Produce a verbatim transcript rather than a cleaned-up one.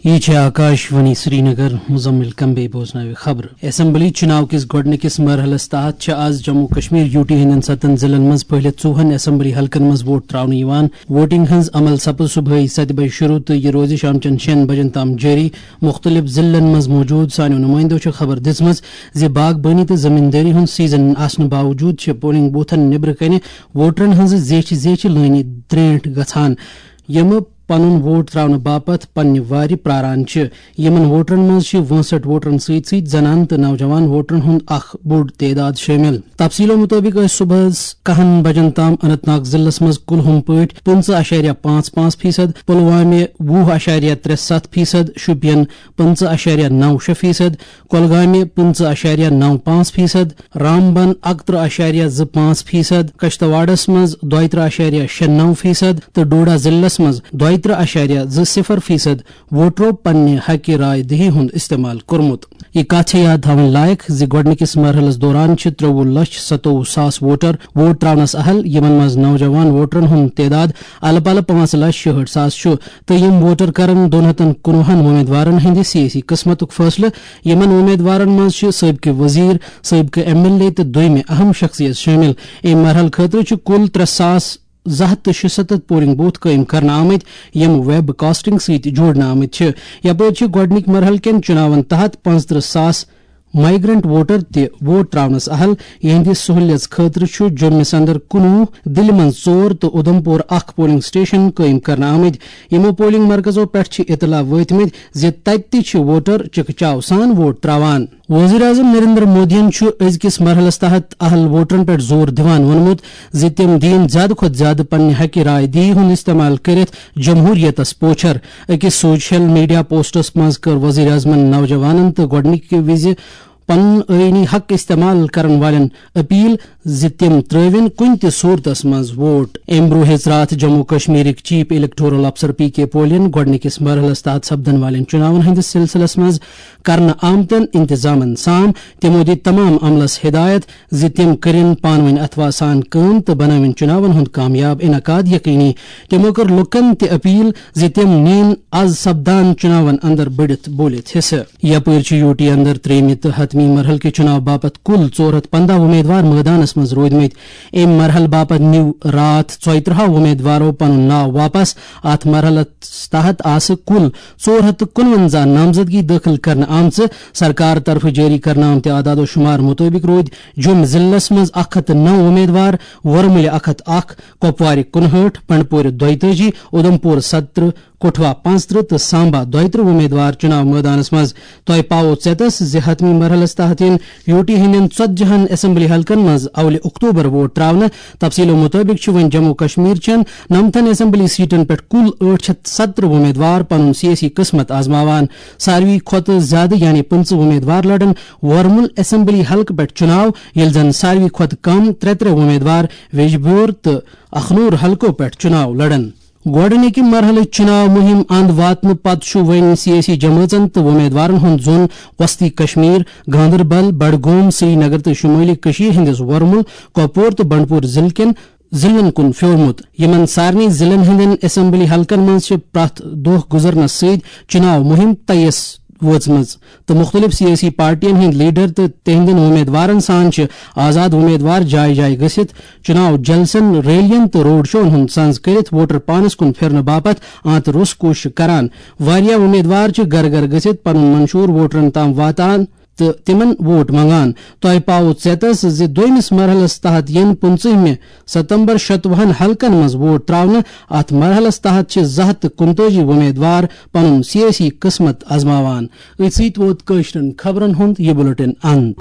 یہِ چھِ آکاش وانی سرینگر۔ مزمل کمبے بوزناوِ خبرٕ۔ اسمبلی چُناو کِس گۄڈٕنِکِس مرحلَس تحت چھِ آز جموں کشمیر یوٗ ٹی ہٕنٛدٮ۪ن ستن ضلعن منٛز پہلے ژوہن اسمبلی حلقن منٛز ووٹ تراونہٕ یِوان۔ ووٹنگ ہٕنٛز عمل سپٕز صبحٲے ستہِ بجہِ شروع تہٕ یہِ روزِ شام چٮ۪ن شٮ۪ن بجن تام جٲری۔ مُختٔلِف ضلعن منٛز موجود سانیو نُمٲیندو چھِ خبر دِژمٕژ زِ باغبٲنی تہٕ زٔمیٖندٲری ہُنٛد سیزن آسنہٕ باوجوٗد چھِ پولنگ بوتھن نیبرٕ کنہِ ووٹرن ہٕنٛزٕ زیچھِ زیچھِ لٲنہِ درینٹھ گژھان، یِم پنُن ووٹ تراونہٕ باپتھ پننہِ وارِ پراران چھِ۔ یِمن ووٹرن منٛز چھِ وٲنٛسٹھ ووٹرن سۭتۍ سۭتۍ زنانہٕ تہٕ نوجوان ووٹرن ہُنٛد اکھ بوٚڑ تعداد شٲمِل۔ تفصیلو مُطٲبِق ٲسۍ صبحس کہن بجن تام اننت ناگ ضلعس منٛز کُلہُم پٲٹھۍ پٕنٛژٕہ اَشاریہ پانٛژھ پانٛژھ فیصد، پلوامہِ وُہ اَشاریہ ترٛےٚ ستھ فیصد، شُپین پٕنٛژٕہ اَشاریہ نَو شےٚ فیصد، کۄلگامہِ پٕنٛژٕہ اَشاریہ نَو پانٛژھ فیصد، رامبن اَکتٕرٛہ اَشاریہ زٕ پانٛژھ فیصد، کشتواڑس منٛز دۄیہِ ترٕٛہ اَشاریہ شےٚ نَو فیصد تہٕ ڈوڈا ضلعس منٛز دۄیہِ ترٕٛہ اَشاریہ زٕ صفر فیصد ووٹرو پننہِ حقہِ راے دہی ہُنٛد استعمال کوٚرمُت۔ یہِ کتھ چھےٚ یاد تھاوٕنۍ لایق زِ گۄڈٕنِکِس مرحلس دوران چھِ ترٛوٚوُہ لچھ ستووُہ ساس ووٹر ووٹ تراونس اہل، یِمن منٛز نوجوان ووٹرن ہُنٛد تعداد الہٕ پلہٕ پانٛژھ لچھ شُہٲٹھ ساس چھُ، تہٕ یِم ووٹر کرن دۄن ہتن کُنوُہن وۄمیدوارن ہٕنٛدِ سیٲسی قسمتُک فٲصلہٕ۔ یِمن وۄمیدوارن منٛز چھِ سٲبقہٕ وزیر، سٲبقہٕ ایم ایل اے تہٕ دوٚیمہِ اہم شخصیت شٲمِل۔ اَمہِ مرحلہٕ خٲطرٕ چھِ کُل ترٛےٚ ساس زٕ ہتھ تہٕ شُستتھ پولنگ بوتھ قٲیِم کرنہٕ آمٕتۍ، یِم ویب کاسٹنگ سۭتۍ جوڑنہٕ آمٕتۍ چھِ۔ یپٲرۍ چھِ گۄڈٕنِکۍ مرحلہٕ کٮ۪ن چُناون تحت پانٛژترٕٛہ ساس مائیگرنٹ ووٹر تہِ ووٹ تراونس اہل۔ یِہنٛدِ سہولیژ خٲطرٕ چھُ جوٚمِس اندر کُنوُہ، دِلہِ منٛز ژور تہٕ اُدھمپور اکھ پولنگ سٹیشن قٲیِم کرنہٕ آمٕتۍ۔ یِمو پولنگ مرکزو پٮ۪ٹھ چھِ اطلاع وٲتمٕتۍ زِ تتہِ تہِ چھِ ووٹر چکہٕ چاو سان ووٹ تراوان۔ وزیر اعظم نریندر مودیَن چھُ أزکِس مرحلَس تحت اہل ووٹرَن پٮ۪ٹھ زور دِوان ووٚنمُت زِ تِم دِیِن زیادٕ کھۄتہٕ زیادٕ پننہِ حقہِ راے دِہی ہُنٛد استعمال کٔرِتھ جمہوریتَس پوچھر۔ أکِس سوشل میڈیا پوسٹَس منٛز کٔر وزیر اعظمَن نوجوانَن تہٕ گۄڈٕنِکہِ وِزِ پنُن آئینی حق استعمال کرن والٮ۪ن اپیل زِ تِم ترٲوِن کُنہِ تہِ صورتس منٛز ووٹ۔ امہِ برٛونٛہہ ہیٚژ راتھ جموں کشمیرٕکۍ چیف الیکٹورل افسر پی کے پولین گۄڈٕنِکِس مرحلس تحت سپدن والٮ۪ن چُناون ہٕنٛدِس سلسلس منٛز کرنہٕ آمتٮ۪ن انتظامن سام۔ تِمو دِتۍ تمام عملس ہدایت زِ تِم کٔرِن پانہٕ ؤنۍ اتھواسان کٲم تہٕ بنٲوِن چُناون ہُنٛد کامیاب انعقاد یقینی۔ تِمو کٔر لوٗکن تہِ اپیل زِ تِم نِیِن از سپدان چُناون اندر بٔڑِتھ بوٗلِتھ حصہٕ۔ یپٲرۍ چھِ یوٗ ٹی اندر ترٛیٚیمہِ تہٕ ہتمی مرحلہٕ کہِ چُناو باپتھ کُل ژور ہتھ پنٛداہ وۄمیدوار مٲدانس منٛز روٗدمٕتۍ۔ امہِ مرحلہٕ باپتھ نیوٗ راتھ ژۄیہِ ترٕٛہو وۄمیدوارو پنُن ناو واپس۔ اتھ مرحلس تحت آسہٕ کُل ژور ہتھ تہٕ کُنونزہ نامزدگی دٲخل کرنہٕ آمژٕ۔ سرکار طرفہٕ جٲری کرنہٕ آمتہِ اعداد و شمار مُطٲبِق روٗدۍ جوٚم ضلعس منٛز اکھ ہتھ تہٕ نَو وۄمیدوار، ورمُلہِ اکھ ہتھ اکھ، کۄپوارِ کُنہٲٹھ، بنڈپورِ دۄیتٲجی، اُدھمپور ستترٕٛہ، کٹھوا پانٛژترٕٛہ تہٕ سامبا دۄیترٕٛہ وۄمیدوار چُناو مٲدانس منٛز۔ تۄہہِ پاوو ژیتس زِ حتمی مرحلس تحت یِن یوٗ ٹی ہٕنٛدٮ۪ن ژتجی ہن اسمبلی حلقن منٛز اولِ اکتوبر ووٹ تراونہٕ۔ تفصیلو مُطٲبِق چھُ وۄنۍ جموں کشمیر چٮ۪ن نمتن اسمبلی سیٹن پٮ۪ٹھ کُل ٲٹھ شتھ ستترٕٛہ وۄمیدوار پنُن سیٲسی قسمت آزماوان۔ ساروی کھۄتہٕ زیادٕ یعنی پٕنٛژٕہ وۄمیدوار لڑن ورمُل اسمبلی حلقہٕ پٮ۪ٹھ چُناو، ییٚلہِ زن ساروی کھۄتہٕ کم ترٛےٚ ترٛےٚ وۄمیدوار ویجبیور تہٕ اخنور حلقو پٮ۪ٹھ چُناو لڑن۔ گۄڈٕنِکہِ مرحلٕچ چُناو مُہِم اند واتنہٕ پتہٕ چھُ وۄنۍ سیٲسی جمٲژن تہٕ وۄمیدوارن ہُنٛد زوٚن وسطی کشمیر، گاندربل، بڈگوم، سرینگر تہٕ شُمٲلی کٔشیٖر ہٕنٛدِس ورمُل، کۄپور تہٕ بنڈپور ضلعہٕ کٮ۪ن ضلعن کُن پھیورمُت۔ یِمن سارنٕے ضلعن ہٕنٛدٮ۪ن اسمبلی حلقن منٛز چھِ پرٛٮ۪تھ دۄہ گُزرنس سۭتۍ چُناو مُہِم تیس وٲژمٕژ تہٕ مُختٔلِف سیٲسی پارٹین ہٕنٛدۍ لیڈر تہٕ تِہنٛدٮ۪ن وۄمیدوارن سان چھِ آزاد وۄمیدوار جایہِ جایہِ گٔژھِتھ چُناو جلسن، ریلین تہٕ روڈ شوون ہُنٛد سنز کٔرِتھ ووٹر پانس کُن پھِرنہٕ باپتھ آنتہٕ روٚس کوٗشِش کران۔ واریاہ وۄمیدوار چھِ گرٕ گرٕ گٔژھِتھ پنُن منشور ووٹرن تام واتان تہٕ تِمن ووٹ منگان۔ تۄہہِ پاوو ژیتس زِ دوٚیمِس مرحلس تحت یِن پٕنٛژٕہمہِ ستمبر شتوُہن حلقن منٛز ووٹ تراونہٕ۔ اتھ مرحلس تحت چھِ زٕ ہتھ تہٕ کُنتٲجی وۄمیدوار پنُن سیٲسی قسمت آزماوان۔ أتھۍ سۭتۍ ووت کٲشرٮ۪ن خبرن ہُنٛد یہِ بُلٹن اند۔